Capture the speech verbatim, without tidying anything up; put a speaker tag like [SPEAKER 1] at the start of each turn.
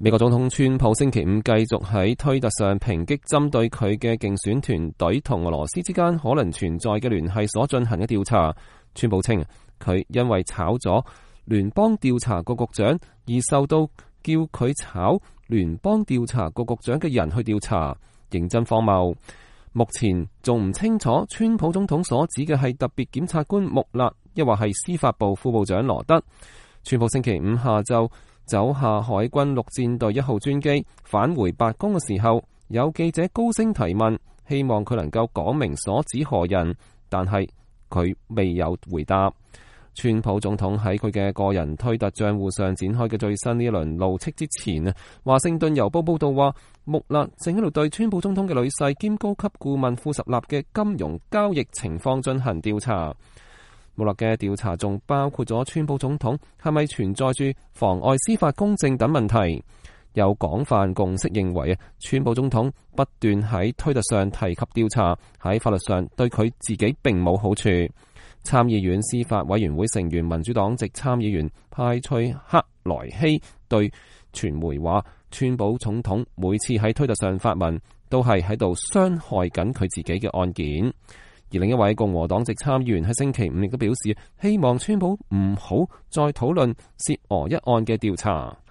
[SPEAKER 1] 美國總統川普星期五繼續喺推特上抨擊針對佢嘅競選團隊同俄羅斯之間可能存在嘅聯繫所進行嘅調查。川普稱佢因為炒咗聯邦調查局局長而受到叫佢炒聯邦調查局局長嘅人去調查，認真荒謬。目前仲唔清楚川普總統所指嘅係特別檢察官穆勒，抑或係司法部副部長羅德。川普星期五下晝走下海軍陸戰隊一號專機返回白宮嘅時候，有記者高聲提問，希望佢能夠講明所指何人，但係佢未有回答。川普總統喺佢嘅個人推特賬戶上展開嘅最新呢一輪怒斥之前啊，華盛頓郵報報道話，穆勒正喺度對川普總統嘅女婿兼高級顧問庫什納嘅金融交易情況進行調查。穆勒嘅調查仲包括咗川普總統係咪存在住妨礙司法公正等問題。有廣泛共識認為啊，川普總統不斷喺推特上提及調查，喺法律上對佢自己並冇好處。參議院司法委員會成員民主黨籍參議員派翠克萊希對傳媒話，川普總統每次喺推特上發文，都係喺度傷害緊佢自己嘅案件。而另一位共和黨籍參議員喺星期五亦都表示，希望川普唔好再討論涉俄一案嘅調查。